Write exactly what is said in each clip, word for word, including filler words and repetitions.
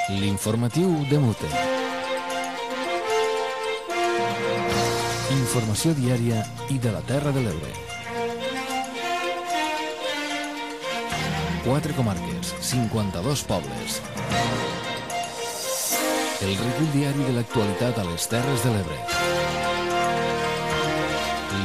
L'informatiu de Mute. Informació diària i de la Terra de l'Ebre. Quatre comarques, cinquanta-dos pobles. El recull diari de l'actualitat a les Terres de l'Ebre.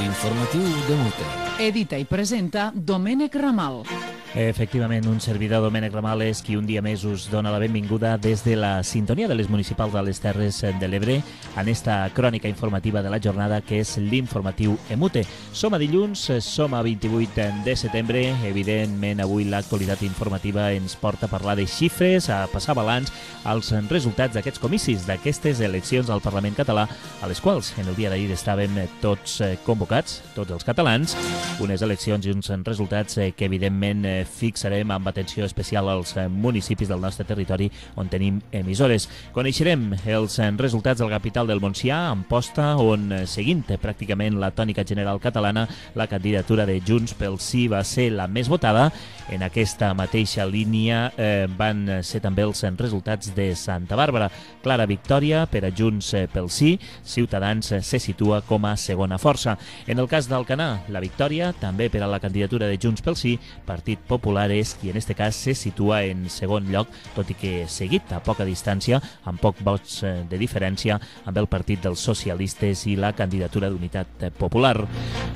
L'informatiu de Mute. Edita i presenta Domènec Ramal. Efectivament, un servidor, Domènec Ramal, és qui un dia més us dona la benvinguda des de la sintonia de les municipals de les Terres de l'Ebre en esta crònica informativa de la jornada que és l'informatiu Emute. Som a dilluns, som a vint-i-vuit de setembre. Evidentment, avui l'actualitat informativa ens porta a parlar de xifres, a passar balanç als resultats d'aquests comicis, d'aquestes eleccions al Parlament català, a les quals en el dia d'ahir estàvem tots convocats, tots els catalans, unes eleccions i uns resultats que evidentment fixarem amb atenció especial als municipis del nostre territori on tenim emissores. Coneixerem els resultats del capital del Montsià, Amposta, on, seguint pràcticament la tònica general catalana, la candidatura de Junts pel Sí va ser la més votada. En aquesta mateixa línia eh, van ser també els resultats de Santa Bàrbara. Clara victòria per a Junts pel Sí, Ciutadans se situa com a segona força. En el cas d'Alcanar, la victòria també per a la candidatura de Junts pel Sí, Partit Popular és qui en este cas se situa en segon lloc, tot i que seguit a poca distància, amb poc vots de diferència, amb el Partit dels Socialistes i la candidatura d'Unitat Popular.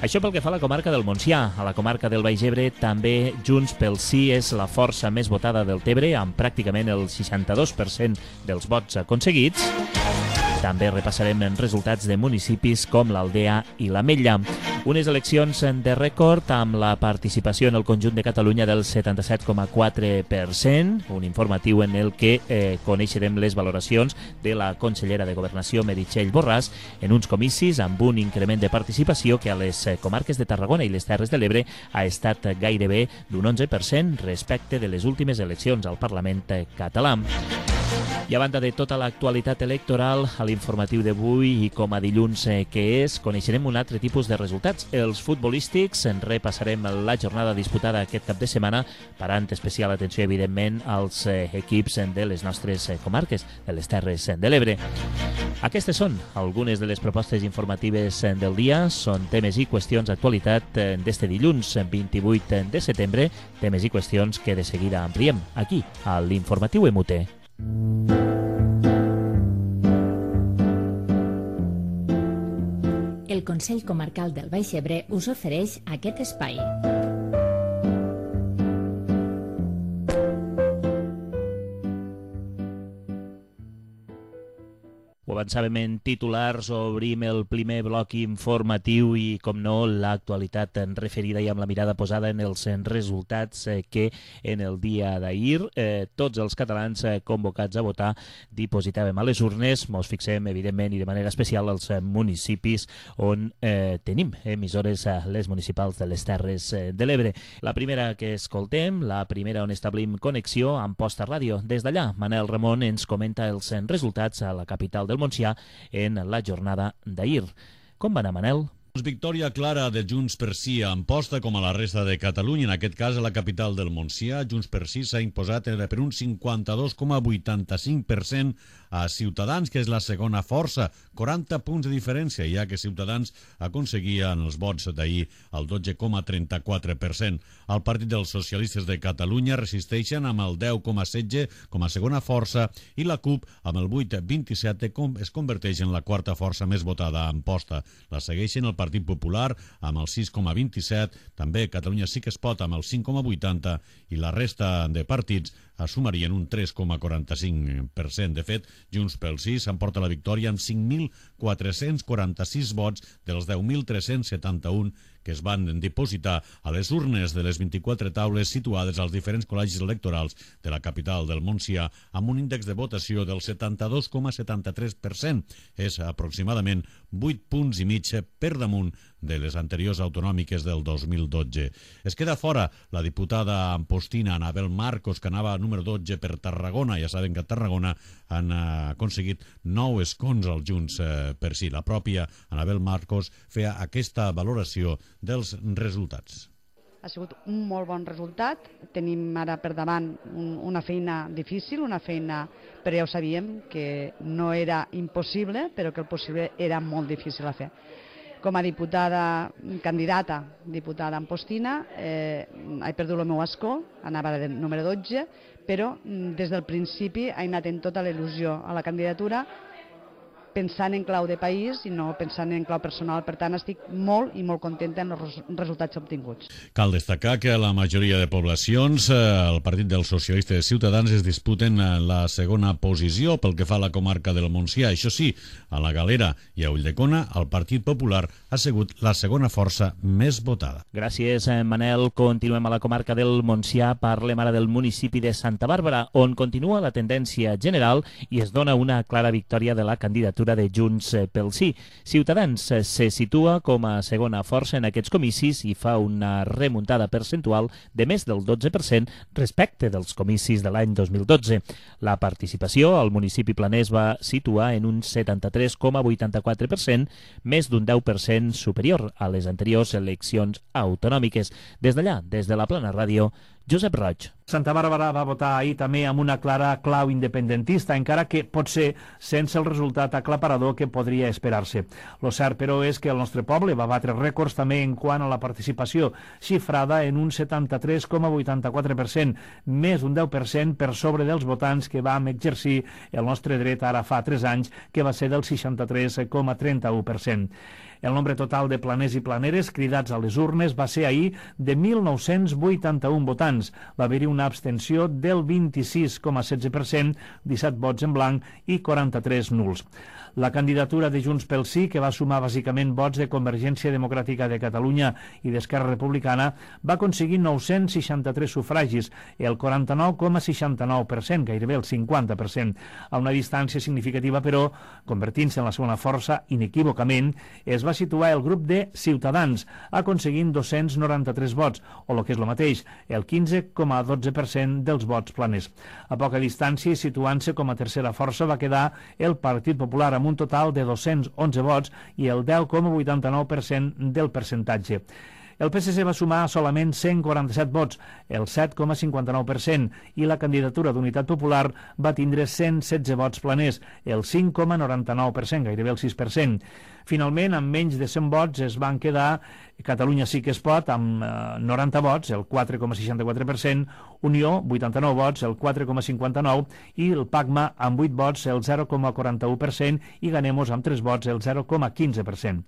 Això pel que fa a la comarca del Montsià. A la comarca del Baix Ebre també Junts pel Sí és la força més votada del Tebre, amb pràcticament el seixanta-dos per cent dels vots aconseguits. També repassarem resultats de municipis com l'Aldea i l'Ametlla. Unes eleccions de rècord amb la participació en el conjunt de Catalunya del setanta-set coma quatre per cent, un informatiu en el que eh, coneixerem les valoracions de la consellera de Governació, Meritxell Borràs, en uns comicis amb un increment de participació que a les comarques de Tarragona i les Terres de l'Ebre ha estat gairebé d'un onze per cent respecte de les últimes eleccions al Parlament català. I a banda de tota l'actualitat electoral, a l'informatiu d'avui i com a dilluns que és, coneixerem un altre tipus de resultats. Els futbolístics, en repassarem la jornada disputada aquest cap de setmana, parant especial atenció, evidentment, als equips de les nostres comarques, de les Terres de l'Ebre. Aquestes són algunes de les propostes informatives del dia. Són temes i qüestions d'actualitat d'este dilluns vint-i-vuit de setembre, temes i qüestions que de seguida ampliem aquí, a l'informatiu Emute. El Consell Comarcal del Baix Ebre us ofereix aquest espai. Ho avançàvem en titulars, obrim el primer bloc informatiu i, com no, l'actualitat referida i amb la mirada posada en els resultats que en el dia d'ahir eh, tots els catalans convocats a votar dipositàvem a les urnes. Mos fixem, evidentment, i de manera especial als municipis on eh, tenim emissores a les municipals de les Terres de l'Ebre. La primera que escoltem, la primera on establim connexió, Amposta Ràdio. Des d'allà, Manel Ramon ens comenta els resultats a la capital del Montsià en la jornada d'ahir. Com va anar, Manel? Victòria clara de Junts per Sí a Amposta com a la resta de Catalunya. En aquest cas, a la capital del Montsià, Junts per Sí s'ha imposat per un cinquanta-dos coma vuitanta-cinc per cent a Ciutadans, que és la segona força, quaranta punts de diferència, ja que Ciutadans aconseguia en els vots d'ahir el dotze coma trenta-quatre per cent. El Partit dels Socialistes de Catalunya resisteixen amb el deu coma setze com a segona força i la CUP amb el vuit coma vint-i-set es converteix en la quarta força més votada a Amposta. La segueixen el Partit Popular amb el sis coma vint-i-set, també Catalunya Sí que es pot amb el cinc coma vuitanta i la resta de partits assumarien un tres coma quaranta-cinc per cent. De fet, Junts pel Sí s'emporta la victòria amb cinc mil quatre-cents quaranta-sis vots dels deu mil tres-cents setanta-un que es van dipositar a les urnes de les vint-i-quatre taules situades als diferents col·legis electorals de la capital del Montsià amb un índex de votació del setanta-dos coma setanta-tres per cent. És aproximadament vuit punts i mig per damunt de les anteriors autonòmiques del dos mil dotze. Es queda fora la diputada ampostina Anabel Marcos, que anava número dotze per Tarragona. Ja saben que a Tarragona han aconseguit nou escons als Junts per Sí. La pròpia Anabel Marcos feia aquesta valoració dels resultats. ha sigut un molt bon resultat. Tenim ara per davant un, una feina difícil, una feina, però ja ho sabíem, que no era impossible, però que el possible era molt difícil a fer. Com a diputada, candidata diputada ampostina, eh, he perdut el meu escó, anava de número dotze, però des del principi he anat en tota la il·lusió a la candidatura, pensant en clau de país i no pensant en clau personal. Per tant, estic molt i molt contenta amb els resultats obtinguts. Cal destacar que a la majoria de poblacions el Partit dels Socialistes Ciutadans es disputen la segona posició pel que fa a la comarca del Montsià. Això sí, a la Galera i a Ulldecona el Partit Popular ha sigut la segona força més votada. Gràcies, Manel. Continuem a la comarca del Montsià. Parlem ara del municipi de Santa Bàrbara, on continua la tendència general i es dona una clara victòria de la candidatura de Junts pel Sí. Ciutadans se situa com a segona força en aquests comicis i fa una remuntada percentual de més del dotze per cent respecte dels comicis de l'any dos mil dotze. La participació al municipi planès va situar en un setanta-tres coma vuitanta-quatre per cent, més d'un deu per cent superior a les anteriors eleccions autonòmiques. Des d'allà, des de la Plana Ràdio, Josep Roig. Santa Bàrbara va votar ahir també amb una clara clau independentista, encara que potser sense el resultat aclaparador que podria esperar-se. Lo cert, però, és que el nostre poble va batre rècords també en quant a la participació, xifrada en un setanta-tres coma vuitanta-quatre per cent, més d'un deu per cent per sobre dels votants que vam exercir el nostre dret ara fa tres anys, que va ser del seixanta-tres coma trenta-u per cent. El nombre total de planers i planeres cridats a les urnes va ser ahir de mil nou-cents vuitanta-un votants. Va haver-hi una abstenció del vint-i-sis coma setze per cent, disset vots en blanc i quaranta-tres nuls. La candidatura de Junts pel Sí, que va sumar bàsicament vots de Convergència Democràtica de Catalunya i d'Esquerra Republicana, va aconseguir nou-cents seixanta-tres sufragis, el quaranta-nou coma seixanta-nou per cent, gairebé el cinquanta per cent. A una distància significativa, però, convertint-se en la segona força, inequívocament, es va situar el grup de Ciutadans, aconseguint dos-cents noranta-tres vots, o el que és el mateix, el quinze coma dotze per cent dels vots planers. A poca distància, i situant-se com a tercera força, va quedar el Partit Popular, amb un total de dos-cents onze vots i el deu coma vuitanta-nou per cent del percentatge. El P S C va sumar solament cent quaranta-set vots, el set coma cinquanta-nou per cent, i la candidatura d'Unitat Popular va tindre cent setze vots planers, el cinc coma noranta-nou per cent, gairebé el sis per cent. Finalment, amb menys de cent vots es van quedar Catalunya Sí que es pot, amb eh, noranta vots, el quatre coma seixanta-quatre per cent, Unió, vuitanta-nou vots, el quatre coma cinquanta-nou, i el PACMA, amb vuit vots, el zero coma quaranta-u per cent, i Ganemos, amb tres vots, el zero coma quinze per cent.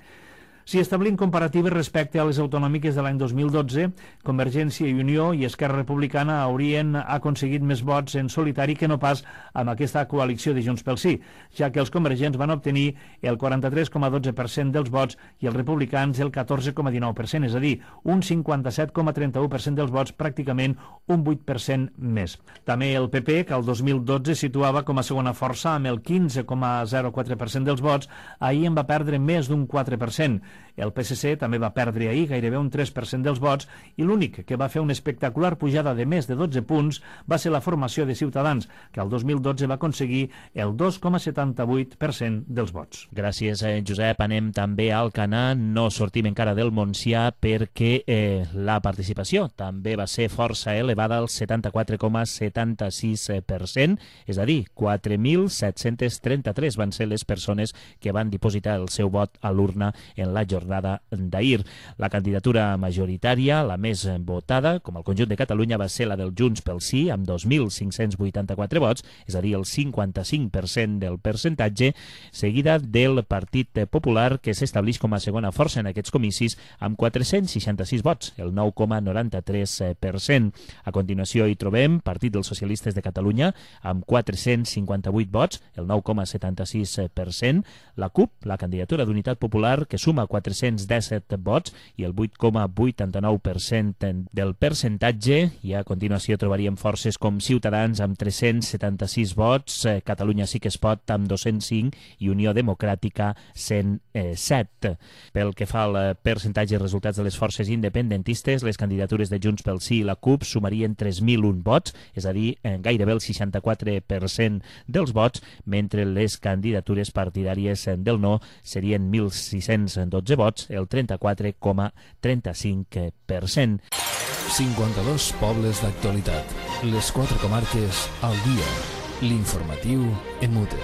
Si establim comparatives respecte a les autonòmiques de l'any dos mil dotze, Convergència i Unió i Esquerra Republicana haurien aconseguit més vots en solitari que no pas amb aquesta coalició de Junts pel Sí, ja que els convergents van obtenir el quaranta-tres coma dotze per cent dels vots i els republicans el catorze coma dinou per cent, és a dir, un cinquanta-set coma trenta-u per cent dels vots, pràcticament un vuit per cent més. També el P P, que el dos mil dotze situava com a segona força amb el quinze coma zero quatre per cent dels vots, ahir en va perdre més d'un quatre per cent. El P S C també va perdre ahir gairebé un tres per cent dels vots i l'únic que va fer una espectacular pujada de més de dotze punts va ser la formació de Ciutadans, que el dos mil dotze va aconseguir el dos coma setanta-vuit per cent dels vots. Gràcies, eh, Josep. Anem també al Alcanar. No sortim encara del Montsià perquè eh, la participació també va ser força elevada, al setanta-quatre coma setanta-sis per cent, és a dir, quatre mil set-cents trenta-tres van ser les persones que van dipositar el seu vot a l'urna en la jornada d'ahir. La candidatura majoritària, la més votada, com el conjunt de Catalunya, va ser la del Junts pel Sí, amb dos mil cinc-cents vuitanta-quatre vots, és a dir, el cinquanta-cinc per cent del percentatge, seguida del Partit Popular, que s'estableix com a segona força en aquests comicis, amb quatre-cents seixanta-sis vots, el nou coma noranta-tres per cent. A continuació hi trobem Partit dels Socialistes de Catalunya, amb quatre-cents cinquanta-vuit vots, el nou coma setanta-sis per cent. La CUP, la candidatura d'Unitat Popular, que suma quatre-cents disset vots i el vuit coma vuitanta-nou per cent del percentatge, i a continuació trobaríem forces com Ciutadans amb tres-cents setanta-sis vots, eh, Catalunya Sí que es pot amb dos-cents cinc i Unió Democràtica cent set. Pel que fa al percentatge de resultats de les forces independentistes, les candidatures de Junts pel Sí i la CUP sumarien tres mil un vots, és a dir, eh, gairebé el seixanta-quatre per cent dels vots, mentre les candidatures partidàries del no serien mil sis-cents dos dotze vots, el trenta-quatre coma trenta-cinc per cent. cinquanta-dos pobles d'actualitat. Les quatre comarques al dia. L'informatiu en mute.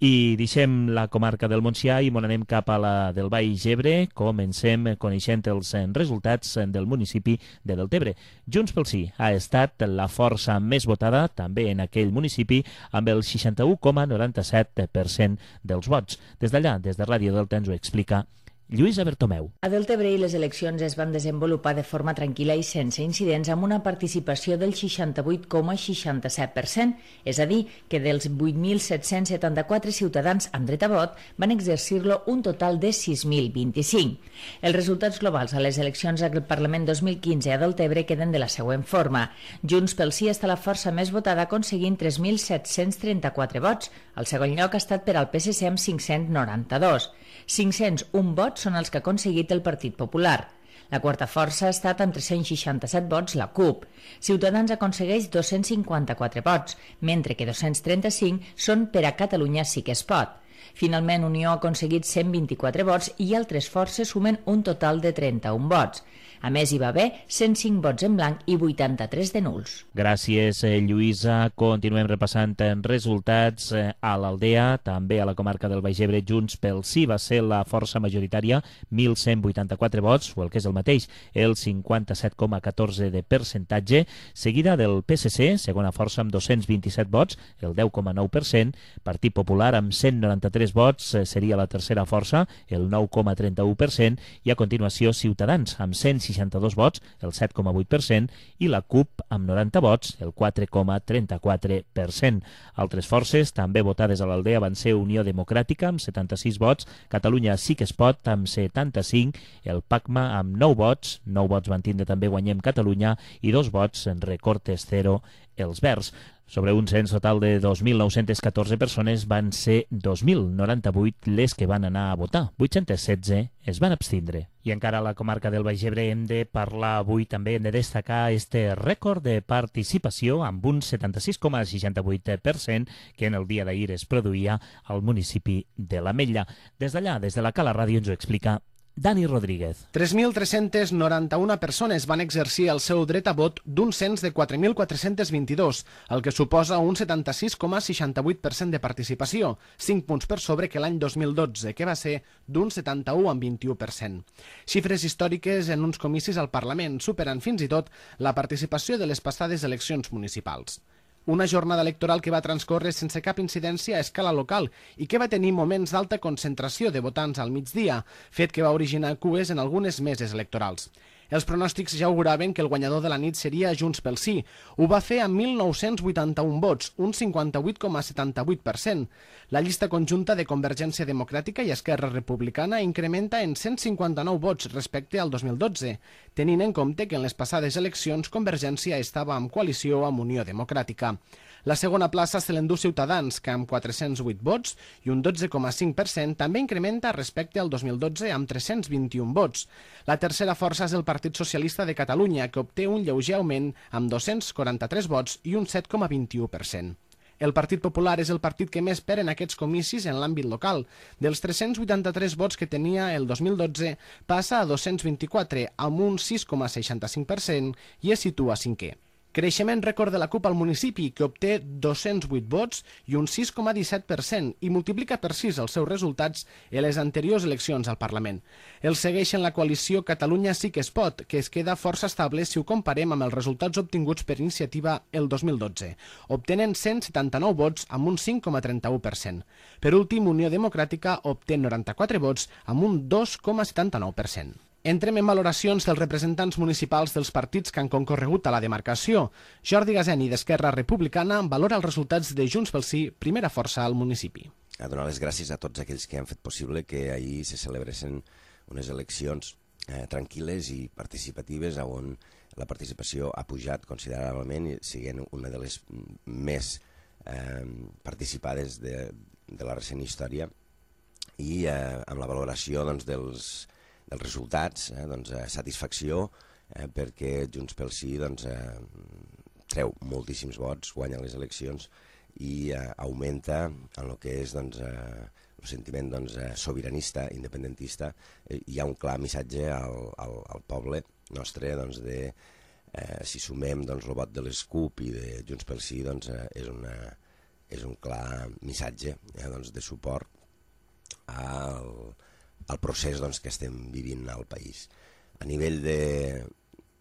I deixem la comarca del Montsià i m'on anem cap a la del Baix Ebre. Comencem coneixent els resultats del municipi de Deltebre. Junts pel Sí ha estat la força més votada també en aquell municipi amb el seixanta-u coma noranta-set per cent dels vots. Des d'allà, des de Ràdio Delta, ens ho explica Lluïsa Bertomeu. A Deltebre les eleccions es van desenvolupar de forma tranquil·la i sense incidents amb una participació del seixanta-vuit coma seixanta-set per cent, és a dir, que dels vuit mil set-cents setanta-quatre ciutadans amb dret a vot van exercir-lo un total de sis mil vint-i-cinc. Els resultats globals a les eleccions al Parlament dos mil quinze a Deltebre queden de la següent forma. Junts pel Sí està la força més votada aconseguint tres mil set-cents trenta-quatre vots. El segon lloc ha estat per al P S C amb cinc-cents noranta-dos. cinc-cents un vots són els que ha aconseguit el Partit Popular. La quarta força ha estat amb tres-cents seixanta-set vots la CUP. Ciutadans aconsegueix dos-cents cinquanta-quatre vots, mentre que dos-cents trenta-cinc són per a Catalunya Sí que es pot. Finalment, Unió ha aconseguit cent vint-i-quatre vots i altres forces sumen un total de trenta-un vots. A més, hi va haver cent cinc vots en blanc i vuitanta-tres de nuls. Gràcies, Lluïsa. Continuem repassant resultats a l'Aldea, també a la comarca del Baix Ebre. Junts pel Sí va ser la força majoritària, mil cent vuitanta-quatre vots, o el que és el mateix, el cinquanta-set coma catorze de percentatge, seguida del P S C, segona força amb dos-cents vint-i-set vots, el deu coma nou per cent, Partit Popular amb cent noranta-tres vots, seria la tercera força, el nou coma trenta-u per cent, i a continuació Ciutadans amb cent seixanta-dos vots, el set coma vuit per cent, i la CUP amb noranta vots, el quatre coma trenta-quatre per cent. Altres forces també votades a l'Aldea van ser Unió Democràtica amb setanta-sis vots, Catalunya Sí que es pot amb setanta-cinc, el PACMA amb nou vots, nou vots van tindre també Guanyem Catalunya i dos vots en Recortes Cero, els Verds. Sobre un cens total de dos mil nou-cents catorze persones van ser dos mil noranta-vuit les que van anar a votar, vuit-cents setze es van abstindre. I encara a la comarca del Baix Ebre hem de parlar avui també, hem de destacar este rècord de participació amb un setanta-sis coma seixanta-vuit per cent que en el dia d'ahir es produïa al municipi de l'Ametlla. Des d'allà, des de la Cala Ràdio, ens ho explica Dani Rodríguez. tres mil tres-cents noranta-una persones van exercir el seu dret a vot d'un cens de quatre mil quatre-cents vint-i-dos, el que suposa un setanta-sis coma seixanta-vuit per cent de participació, cinc punts per sobre que l'any dos mil dotze, que va ser d'un setanta-u coma vint-i-u per cent. Xifres històriques en uns comicis al Parlament superen fins i tot la participació de les passades eleccions municipals. Una jornada electoral que va transcórrer sense cap incidència a escala local i que va tenir moments d'alta concentració de votants al migdia, fet que va originar cues en algunes meses electorals. Els pronòstics ja auguraven que el guanyador de la nit seria Junts pel Sí. Ho va fer amb mil nou-cents vuitanta-un vots, un cinquanta-vuit coma setanta-vuit per cent. La llista conjunta de Convergència Democràtica i Esquerra Republicana incrementa en cent cinquanta-nou vots respecte al dos mil dotze, tenint en compte que en les passades eleccions Convergència estava en coalició amb Unió Democràtica. La segona plaça se l'endú Ciutadans, que amb quatre-cents vuit vots i un dotze coma cinc per cent també incrementa respecte al dos mil dotze amb tres-cents vint-i-un vots. La tercera força és el Partit Socialista de Catalunya, que obté un lleuger augment amb dos-cents quaranta-tres vots i un set coma vint-i-u per cent. El Partit Popular és el partit que més perd en aquests comicis en l'àmbit local. Dels tres-cents vuitanta-tres vots que tenia el dos mil dotze, passa a dos-cents vint-i-quatre, amb un sis coma seixanta-cinc per cent, i es situa cinquè. Creixement rècord de la CUP al municipi, que obté dos-cents vuit vots i un sis coma disset per cent i multiplica per sis els seus resultats en les anteriors eleccions al Parlament. El segueixen la coalició Catalunya Sí que es pot, que es queda força estable si ho comparem amb els resultats obtinguts per iniciativa el dos mil dotze. Obtenen cent setanta-nou vots amb un cinc coma trenta-u per cent. Per últim, Unió Democràtica obté noranta-quatre vots amb un dos coma setanta-nou per cent. Entrem en valoracions dels representants municipals dels partits que han concorregut a la demarcació. Jordi Gazeni, d'Esquerra Republicana, valora els resultats de Junts pel Sí, primera força al municipi. A donar les gràcies a tots aquells que han fet possible que ahir se celebressin unes eleccions eh, tranquil·les i participatives on la participació ha pujat considerablement i siguent una de les més eh, participades de, de la recent història i eh, amb la valoració doncs, dels dels resultats, eh, doncs, eh, satisfacció, eh, perquè Junts pel Sí doncs, eh, treu moltíssims vots, guanya les eleccions i eh, augmenta en el que és doncs, eh, el sentiment doncs, eh, sobiranista, independentista. Eh, hi ha un clar missatge al, al, al poble nostre doncs, de eh, si sumem doncs, el vot de les CUP i de Junts pel Sí, doncs, eh, és, una, és un clar missatge eh, doncs, de suport al, al procés doncs, que estem vivint al país. A nivell de,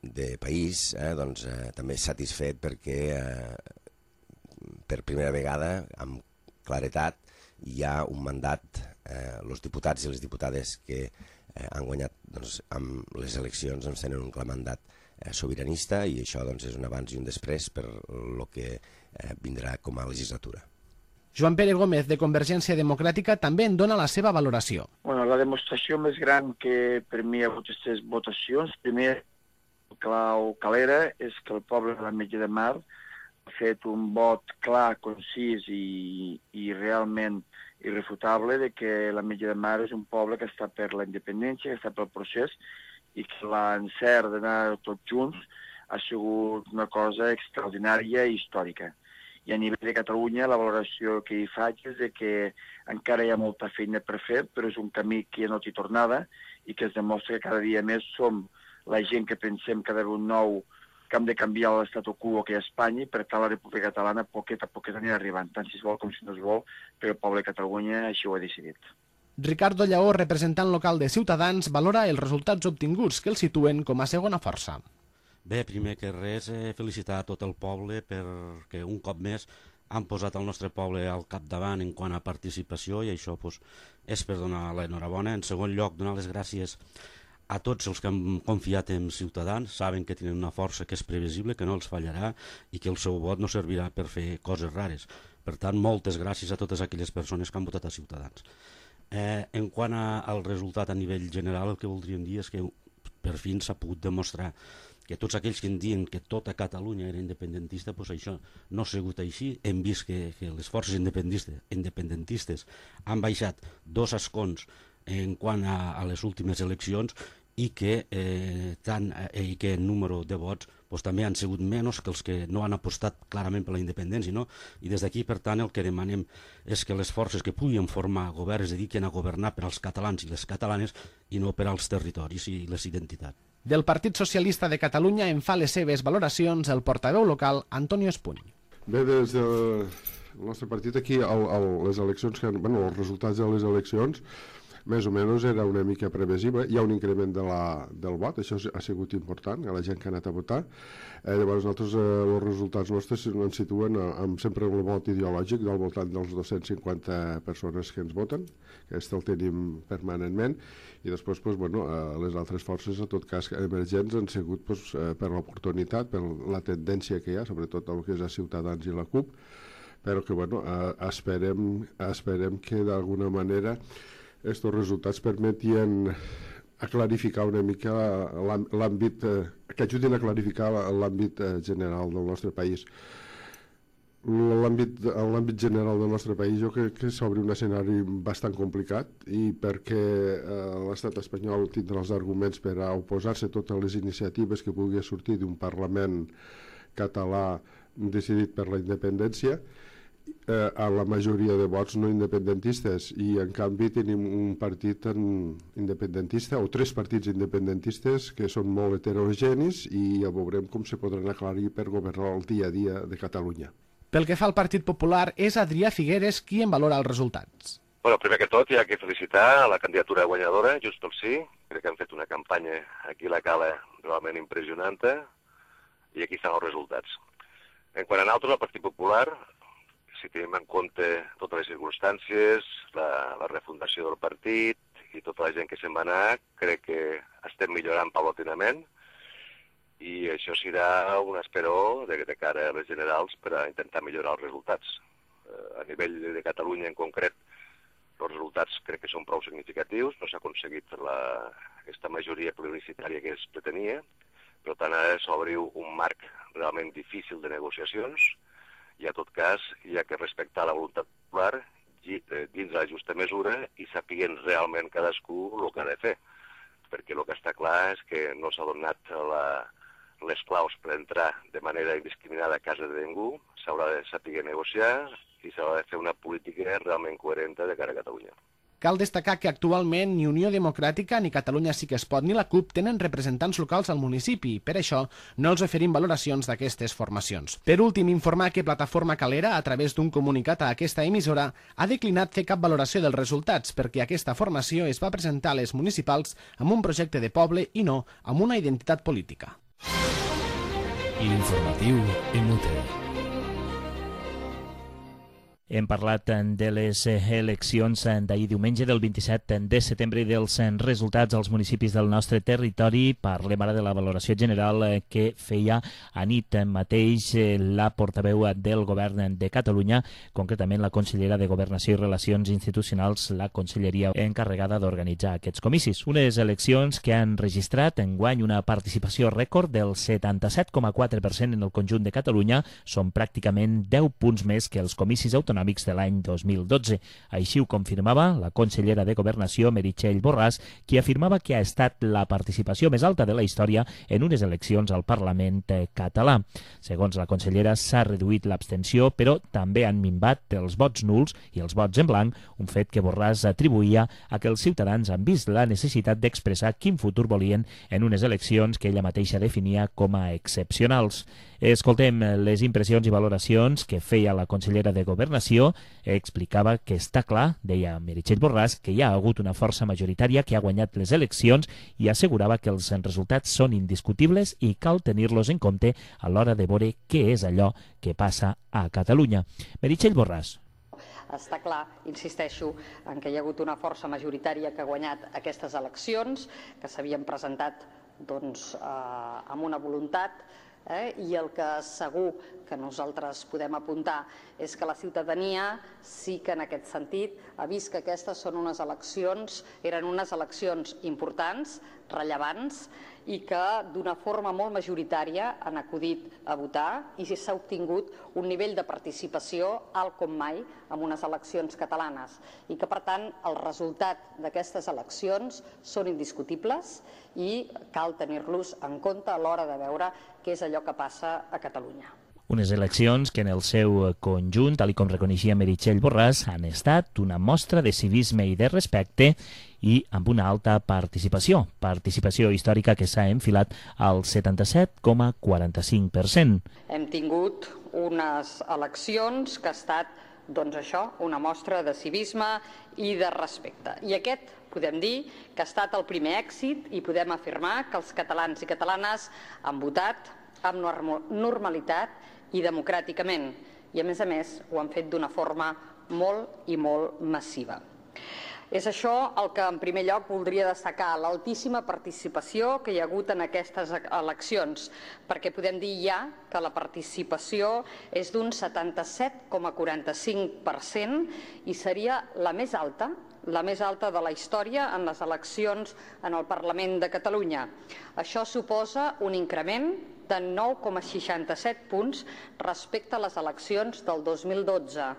de país, eh, doncs, eh, també satisfet perquè eh, per primera vegada, amb claretat, hi ha un mandat, eh, els diputats i les diputades que eh, han guanyat doncs, amb les eleccions doncs, tenen un clar mandat eh, sobiranista i això doncs, és un abans i un després per el que eh, vindrà com a legislatura. Joan Pere Gómez, de Convergència Democràtica, també en dona la seva valoració. Bueno, la demostració més gran que per mi hi ha hagut aquestes votacions, primer, clau calera, és que el poble de l'Ametlla de Mar ha fet un vot clar, concís i, i realment irrefutable de que l'Ametlla de Mar és un poble que està per la independència, que està pel procés i que l'encert d'anar tots junts ha sigut una cosa extraordinària i històrica. I a nivell de Catalunya la valoració que hi faig és de que encara hi ha molta feina per fer, però és un camí que ja no té tornada i que es demostra que cada dia més som la gent que pensem que ha d'haver un nou que hem de canviar l'estatu quo que hi ha a Espanya i per tant la República Catalana poquet a poquet anirà arribant, tant si es vol com si no es vol, però el poble de Catalunya així ho ha decidit. Ricardo Lleó, representant local de Ciutadans, valora els resultats obtinguts que el situen com a segona força. Bé, primer que res, eh, felicitar a tot el poble perquè un cop més han posat el nostre poble al capdavant en quant a participació i això pues, és per donar l'enhorabona. En segon lloc, donar les gràcies a tots els que han confiat en Ciutadans, saben que tenen una força que és previsible, que no els fallarà i que el seu vot no servirà per fer coses rares. Per tant, moltes gràcies a totes aquelles persones que han votat a Ciutadans. Eh, en quant a, al resultat a nivell general, el que voldríem dir és que per fi s'ha pogut demostrar que tots aquells que en diuen que tota Catalunya era independentista, doncs això no ha sigut així. Hem vist que, que les forces independentistes, independentistes han baixat dos escons en quant a, a les últimes eleccions i que, eh, tant, eh, i que el número de vots pues, també han sigut menys que els que no han apostat clarament per la independència. No? I des d'aquí, per tant, el que demanem és que les forces que puguin formar govern es dediquin a governar per als catalans i les catalanes i no per als territoris i les identitats. Del Partit Socialista de Catalunya en fa les seves valoracions el portaveu local Antonio Espuny. Bé, des del nostre partit aquí, el, el, les eleccions que han, bueno, els resultats de les eleccions més o menys era una mica previsible. Hi ha un increment de la, del vot, això ha sigut important, a la gent que ha anat a votar. Eh, llavors nosaltres, eh, els resultats nostres ens situen a, amb sempre el vot ideològic del voltant dels dos-cents cinquanta persones que ens voten, que aquest el tenim permanentment, i després pues, bueno, eh, les altres forces, en tot cas emergents, han sigut pues, eh, per l'oportunitat, per la tendència que hi ha, sobretot el que és a Ciutadans i la CUP, però que bueno, eh, esperem, esperem que d'alguna manera aquests resultats permetien a clarificar una mica l'àmbit, que ajudin a clarificar l'àmbit general del nostre país. L'àmbit general del nostre país jo crec que s'obre un escenari bastant complicat i perquè l'estat espanyol tindrà els arguments per a oposar-se a totes les iniciatives que pugui sortir d'un Parlament català decidit per la independència, Eh, a la majoria de vots no independentistes i en canvi tenim un partit independentista o tres partits independentistes que són molt heterogenis i ja veurem com se podran aclarir per governar el dia a dia de Catalunya. Pel que fa al Partit Popular, és Adrià Figueres qui en valora els resultats. Bueno, primer que tot hi ha que felicitar a la candidatura guanyadora, Junts pel Sí. Crec que han fet una campanya aquí a la Cala realment impressionant i aquí estan els resultats. En quant a nosaltres, el Partit Popular, si tenim en compte totes les circumstàncies, la, la refundació del partit i tota la gent que se'n va anar, crec que estem millorant paulatinament i això serà un esperó de, de cara a les generals per a intentar millorar els resultats. Eh, a nivell de Catalunya en concret, els resultats crec que són prou significatius, no s'ha aconseguit la, aquesta majoria plebiscitària que es pretenia, per tant ara s'obre un marc realment difícil de negociacions i en tot cas hi ha que respectar la voluntat popular dins de la justa mesura i sapiguent realment cadascú el que ha de fer, perquè el que està clar és que no s'ha donat la, les claus per entrar de manera indiscriminada a casa de ningú, s'haurà de saber negociar i s'ha de fer una política realment coherent de cara a Catalunya. Cal destacar que actualment ni Unió Democràtica, ni Catalunya Sí que es pot, ni la CUP tenen representants locals al municipi. Per això, no els oferim valoracions d'aquestes formacions. Per últim, informar que Plataforma Calera, a través d'un comunicat a aquesta emissora, ha declinat fer cap valoració dels resultats perquè aquesta formació es va presentar a les municipals amb un projecte de poble i no amb una identitat política. L'informatiu en Mute. Hem parlat de les eleccions d'ahir diumenge del vint-i-set de setembre i dels resultats als municipis del nostre territori. Parlem ara de la valoració general que feia a nit mateix la portaveu del Govern de Catalunya, concretament la consellera de Governació i Relacions Institucionals, la conselleria encarregada d'organitzar aquests comicis. Unes eleccions que han registrat enguany una participació rècord del setanta-set coma quatre per cent en el conjunt de Catalunya. Són pràcticament deu punts més que els comicis autonòmics de l'any dos mil dotze. Així ho confirmava la consellera de Governació, Meritxell Borràs, qui afirmava que ha estat la participació més alta de la història en unes eleccions al Parlament català. Segons la consellera, s'ha reduït l'abstenció, però també han minvat els vots nuls i els vots en blanc, un fet que Borràs atribuïa a que els ciutadans han vist la necessitat d'expressar quin futur volien en unes eleccions que ella mateixa definia com a excepcionals. Escoltem les impressions i valoracions que feia la consellera de Governació. Explicava que està clar, deia Meritxell Borràs, que hi ha hagut una força majoritària que ha guanyat les eleccions i assegurava que els resultats són indiscutibles i cal tenir-los en compte a l'hora de veure què és allò que passa a Catalunya. Meritxell Borràs. Està clar, insisteixo, en que hi ha hagut una força majoritària que ha guanyat aquestes eleccions, que s'havien presentat doncs, eh, amb una voluntat, eh, i el que segur que nosaltres podem apuntar és que la ciutadania sí que en aquest sentit ha vist que aquestes són unes eleccions, eren unes eleccions importants, rellevants, i que d'una forma molt majoritària han acudit a votar i s'ha obtingut un nivell de participació alt com mai en unes eleccions catalanes i que, per tant, el resultat d'aquestes eleccions són indiscutibles i cal tenir-los en compte a l'hora de veure què és allò que passa a Catalunya. Unes eleccions que en el seu conjunt, tal com reconeixia Meritxell Borràs, han estat una mostra de civisme i de respecte i amb una alta participació, participació històrica que s'ha enfilat al setanta-set coma quaranta-cinc per cent. Hem tingut unes eleccions que ha estat, doncs això, una mostra de civisme i de respecte. I aquest podem dir que ha estat el primer èxit i podem afirmar que els catalans i catalanes han votat amb normalitat i democràticament, i a més a més ho han fet d'una forma molt i molt massiva. És això el que en primer lloc voldria destacar, l'altíssima participació que hi ha hagut en aquestes eleccions, perquè podem dir ja que la participació és d'un setanta-set coma quaranta-cinc per cent i seria la més alta, la més alta de la història en les eleccions en el Parlament de Catalunya. Això suposa un increment de nou coma seixanta-set punts respecte a les eleccions del dos mil dotze.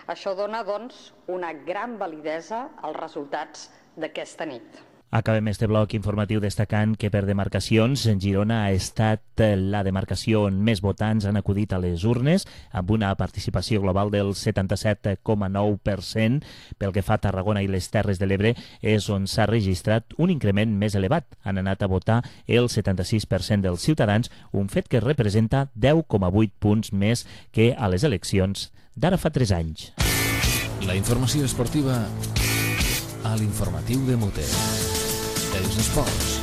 Això dona, doncs, una gran validesa als resultats d'aquesta nit. Acabem este bloc informatiu destacant que per demarcacions Girona ha estat la demarcació on més votants han acudit a les urnes, amb una participació global del setanta-set coma nou per cent. Pel que fa a Tarragona i les Terres de l'Ebre és on s'ha registrat un increment més elevat. Han anat a votar el setanta-sis per cent dels ciutadans, un fet que representa deu coma vuit punts més que a les eleccions d'ara fa tres anys. La informació esportiva a l'informatiu de Mute. Els esports.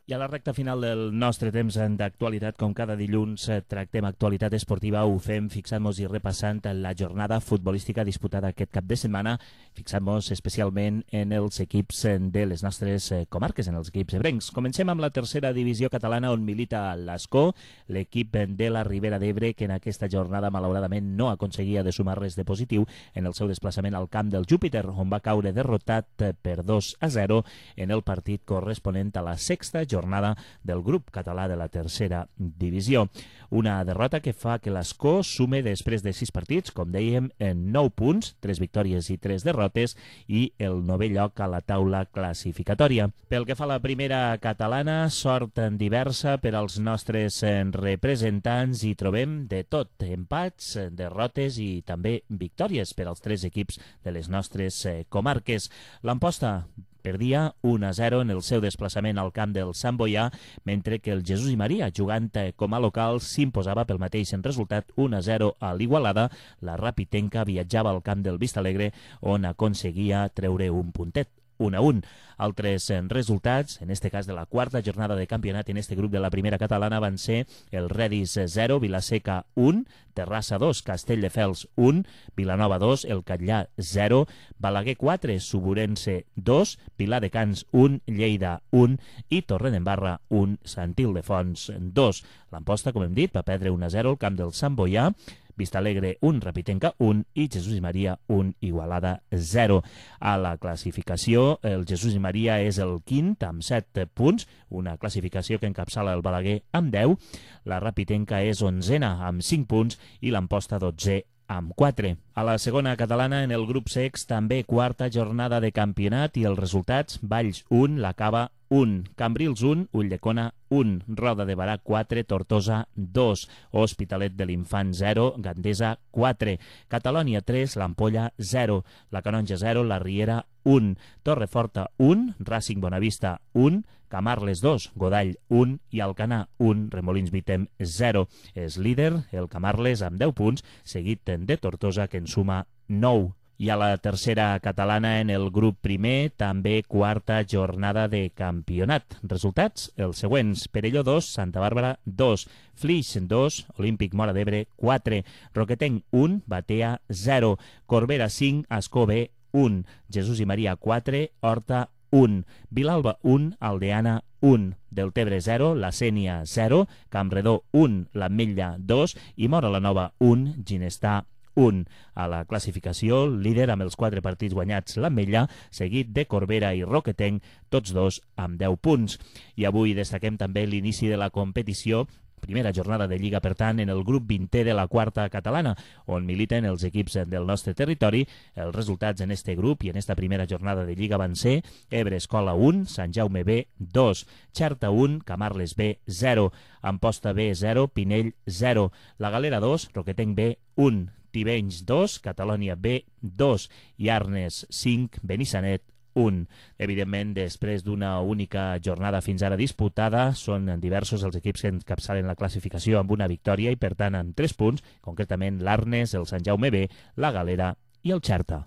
I a la recta final del nostre temps d'actualitat, com cada dilluns tractem actualitat esportiva, ho fem fixant-nos i repassant la jornada futbolística disputada aquest cap de setmana, fixant-nos especialment en els equips de les nostres comarques, en els equips ebrencs. Comencem amb la tercera divisió catalana on milita l'Ascó, l'equip de la Ribera d'Ebre, que en aquesta jornada malauradament no aconseguia de sumar res de positiu en el seu desplaçament al camp del Júpiter, on va caure derrotat per dos a zero en el partit corresponent a la sexta jornada jornada del grup català de la tercera divisió. Una derrota que fa que l'Escó sume després de sis partits, com dèiem, en nou punts, tres victòries i tres derrotes, i el novè lloc a la taula classificatòria. Pel que fa a la primera catalana, sort diversa per als nostres representants, i trobem de tot, empats, derrotes i també victòries per als tres equips de les nostres comarques. L'Amposta perdia un a zero en el seu desplaçament al camp del Sant Boià, mentre que el Jesús i Maria, jugant com a local, s'imposava pel mateix en resultat un a zero a l'Igualada. La Rapitenca viatjava al camp del Vistalegre, on aconseguia treure un puntet, un a un. Altres resultats, en este cas de la quarta jornada de campionat en este grup de la primera catalana, van ser el Redis zero, Vilaseca un, Terrassa dos, Castelldefels un, Vilanova dos, el Catllà zero, Balaguer quatre, Suburense dos, Viladecans un, Lleida un i Torredembarra un, Sant Ildefons dos. L'Amposta, com hem dit, va perdre un a zero al camp del Sant Boià, Vistalegre un, Rapitenca un i Jesús i Maria un, Igualada zero. A la classificació, el Jesús i Maria és el quint amb set punts, una classificació que encapçala el Balaguer amb deu, la Rapitenca és onzena amb cinc punts i l'Amposta dotze amb quatre. A la segona catalana, en el grup sex, també quarta jornada de campionat i els resultats: Valls un, La Cava un, Cambrils un, Ulldecona un, Roda de Barà quatre, Tortosa dos, Hospitalet de l'Infant zero, Gandesa quatre, Catalònia tres, l'Ampolla zero, la Canonja zero, la Riera un, Torreforta un, Racing Bonavista un, Camarles dos, Godall un i Alcanar un, Remolins Vitem zero. És líder el Camarles amb deu punts, seguit de Tortosa, que en suma nou. I a la tercera catalana, en el grup primer, també quarta jornada de campionat. Resultats, els següents: Perelló dos, Santa Bàrbara dos, Flix dos, Olímpic Móra d'Ebre quatre, Roquetenc un, Batea zero, Corbera cinc, Ascó B un, Jesús i Maria quatre, Horta un, Vilalba un, Aldeana un, Deltebre zero, La Sénia zero, Campredó un, l'Ametlla dos i Móra la Nova un, Ginestar un. A la classificació, líder amb els quatre partits guanyats l'Ametlla, seguit de Corbera i Roquetenc, tots dos amb deu punts. I avui destaquem també l'inici de la competició, primera jornada de Lliga, per tant, en el grup vintè de la quarta catalana, on militen els equips del nostre territori. Els resultats en este grup i en esta primera jornada de Lliga van ser Ebre Escola un, Sant Jaume B dos, Xerta un, Camarles B zero, Amposta B zero, Pinell zero, La Galera dos, Roquetenc B un, Tivenys dos, Catalònia B dos i Arnes cinc, Benissanet un. Evidentment, després d'una única jornada fins ara disputada, són diversos els equips que encapçalen la classificació amb una victòria i, per tant, amb tres punts, concretament l'Arnes, el Sant Jaume B, la Galera i el Xerta.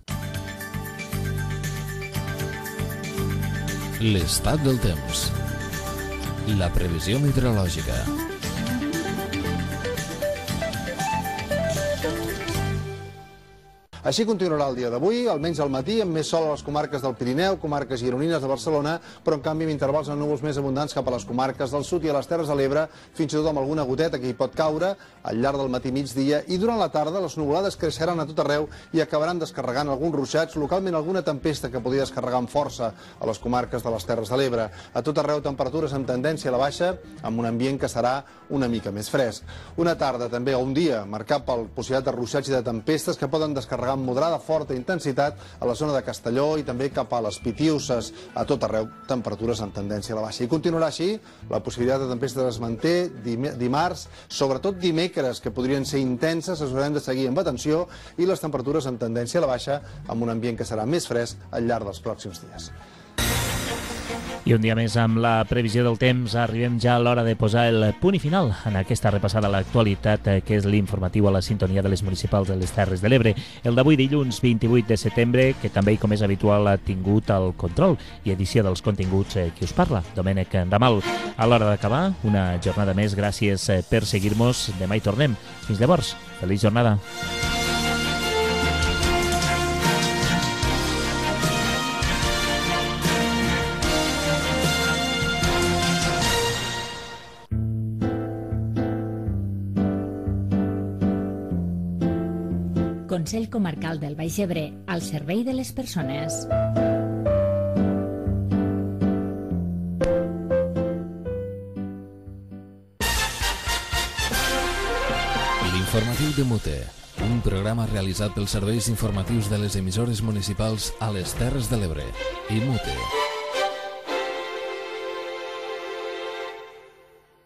L'estat del temps. La previsió meteorològica. Així continuarà el dia d'avui, almenys al matí, amb més sol a les comarques del Pirineu, comarques gironines de Barcelona, però en canvi amb intervals de núvols més abundants cap a les comarques del sud i a les Terres de l'Ebre, fins i tot amb alguna goteta que hi pot caure al llarg del matí migdia, i durant la tarda les nuvolades creixeran a tot arreu i acabaran descarregant alguns ruixats, localment alguna tempesta que podria descarregar amb força a les comarques de les Terres de l'Ebre. A tot arreu temperatures amb tendència a la baixa, amb un ambient que serà una mica més fresc. Una tarda també, o un dia, marcat per possibilitat de ruixats i de tempestes que poden descarregar amb moderada forta intensitat a la zona de Castelló i també cap a les Pitiuses. A tot arreu temperatures amb tendència a la baixa. I continuarà així, la possibilitat de tempestes es manté dimarts, sobretot dimecres, que podrien ser intenses, les haurem de seguir amb atenció, i les temperatures amb tendència a la baixa, amb un ambient que serà més fresc al llarg dels pròxims dies. I un dia més amb la previsió del temps arribem ja a l'hora de posar el punt i final en aquesta repassada a l'actualitat, que és l'informatiu a la sintonia de les municipals de les Terres de l'Ebre. El d'avui, dilluns vint-i-vuit de setembre, que també, com és habitual, ha tingut el control i edició dels continguts qui us parla, Domènec Ramal. A l'hora d'acabar, una jornada més, gràcies per seguir-nos. Demà hi tornem. Fins llavors, feliç jornada. Consell Comarcal del Baix Ebre, al servei de les persones. L'informatiu de Mute, un programa realitzat pels serveis informatius de les emissores municipals a les Terres de l'Ebre i Mute.